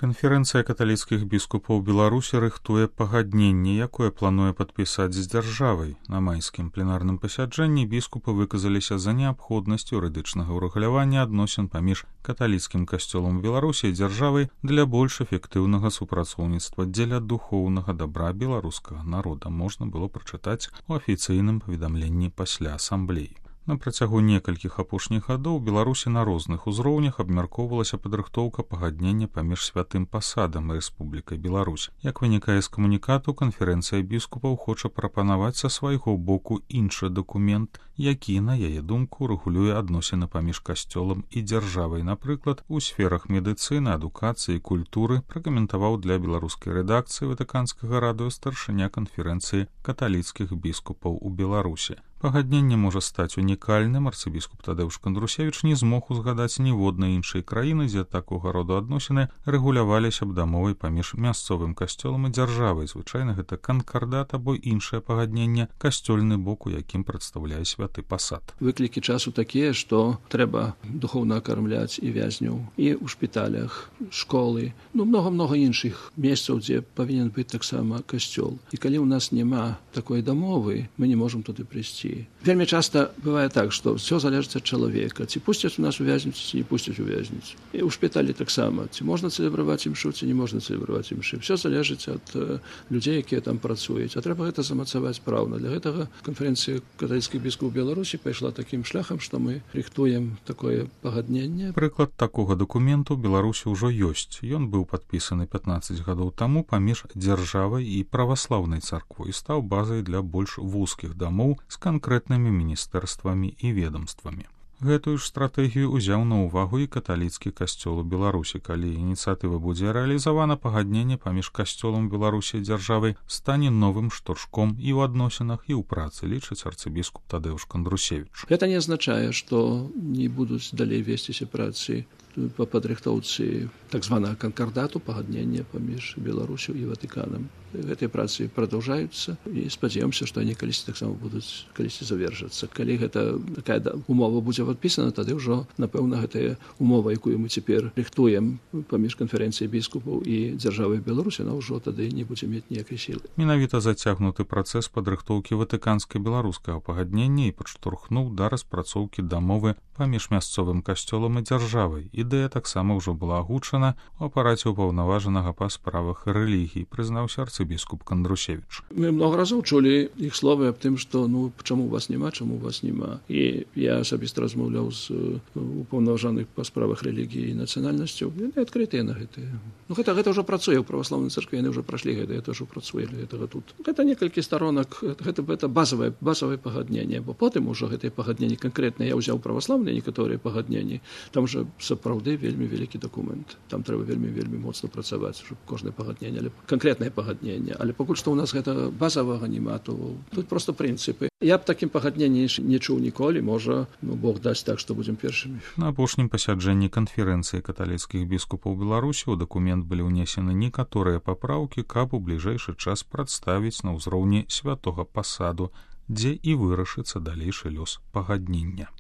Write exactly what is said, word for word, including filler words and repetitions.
Канферэнцыя каталіцкіх біскупаў Беларусі рыхтуе пагадненне, якое плануе падпісаць з дзяржавай. На майскім пленарным пасяджэнні біскупы выказаліся за неабходнасць юрыдычнага ўрэгулявання адносін паміж каталіцкім касцёлам Беларусі і дзяржавай для больш эфектыўнага супрацоўніцтва дзеля духоўнага дабра беларускага народа, можна было прачытаць у афіцыйным паведамленні пасля асамблеі. На працягу некалькіх апошніх гадоў Беларусі на розных узроўнях абмяркоўвалася падрыхтоўка пагаднення паміж святым пасадам і Рэспублікай Беларусь. Як вынікае з камунікату, канферэнцыя біскупаў хоча прапанаваць са свайго боку іншы дакумент, які, на яе думку, рэгулюе адносіны паміж касцёлам і дзяржавай. Напрыклад, у сферах медыцыны, адукацыі і культуры, пракаментаваў для беларускай рэдакцыі ватыканскага радыё старшыня канферэнцыі каталіцкіх біскупаў у Беларусі. Пагадненне можа стаць унікальным. Арцыбіскуп Тадэўш Кандрусевіч не змог узгадаць ніводнай іншай краіны, дзе такога роду адносіны рэгуляваліся б дамовай паміж мясцовым касцёлам і дзяржавай. Звычайна гэта канкардат або іншае пагадненне, касцёльны бок, у якім прадстаўляе святы пасад. Выклікі часу такія, што трэба духоўна акармляць і вязняў, і ў шпіталях, школы, ну многа-многа іншых месцаў, дзе павінен быць таксама касцёл. І калі ў нас няма такой дамовы, мы не можам туды прыйсці. Вельмі часта бывае так, што ўсё залежыць ад чалавека. Ці пусцяць у нас у вязніцу, ці не пусцяць у вязніцу. І ў шпіталі таксама. Ці можна цэлебраваць імшу, ці не можна цэлебраваць імшы. Всё залежыць ад э, людзей, якія там працуюць. А трэба гэта замацаваць праўна. Для гэтага канферэнцыя каталіцкіх біскупаў Беларусі пайшла такім шляхам, што мы рыхтуем такое пагадненне. Прыклад такога дакументу ў Беларусі ўжо ёсць. Ён быў падпісаны пятнаццаць гадоў таму паміж дзяржавай і праваслаўнай царквой і стаў базай для больш вузкіх дамоў з канкрэтнымі міністэрствамі і ведомствамі. Гэтую ж стратэгію ўзяў на ўвагу і каталіцкі касцёл у Беларусі. Калі ініцыятыва будзе рэалізавана, пагадненне паміж касцёлам Беларусі і дзяржавай стане новым штуршком і ў адносінах, і ў працы, лічыць арцыбіскуп Тадэўш Кандрусевіч. Гэта не азначае, што не будуць далей весціся працы па падрыхтоўцы так званага канкардату, пагаднення паміж Беларусю і Ватыканам. Гэтыя працы прадаўжаюцца і спадзяёмся, што яны калісьці таксама будуць калісьці завершацца. Калі гэта такая умова будзе падпісана, тады ўжо, напэўна, гэтая умова, якую мы цяпер рыхтуем паміж канферэнцыяй біскупаў і дзяржавай Беларусі, она ўжо тады не будзе мець ніякай сілы. Менавіта зацягнуты працэс падрыхтоўкі ватыканска-беларускага пагаднення і падштурхнуў да распрацоўкі дамовы паміж мясцовым касцёлам і дзяржавай. Ідэя таксама ўжо была агучана у апараце ўпаўнаважанага па справах рэлігій, прызнаўся арцыбіскуп Кандрусевіч. Мы много разоў чулі іх словы аб тым, што ну чаму вас няма, чаму вас няма. І я асабіста размаўляў з упаўнаважаных па справах рэлігіі і нацыянальнасцяў. Яны адкрытыя на гэтыя. Ну гэта гэта ўжо працуе ў праваслаўнай царкве, яны ўжо прашлі гэта, гэта ўжо працуе для гэтага тут. Гэта некалькі сторонак, гэта гэта базавае базавае пагадненне, бо потым ужо гэтыя пагадненні канкрэтна я ўзяў праваслаўныя некаторыя пагадненні. Там жа сапраўды вельмі вялікі дакумент. Там трэба вельмі вельмі моцна працаваць, щоб кожнае пагадненне, але канкрэтнае пагадненне. Але пакуль што ў нас гэта базавага няма, то тут проста прынцыпы. Я б такім пагадненні не чуў ніколі, можа, ну Бог дасць так, што будзем першымі. На апошнім пасяджэнні канферэнцыі каталіцкіх біскупаў Беларусі ў дакумент былі ўнесены некаторыя папраўкі, каб у бліжэйшы час прадставіць на ўзроўні святога пасаду, дзе і вырашыцца далейшы лёс пагаднення.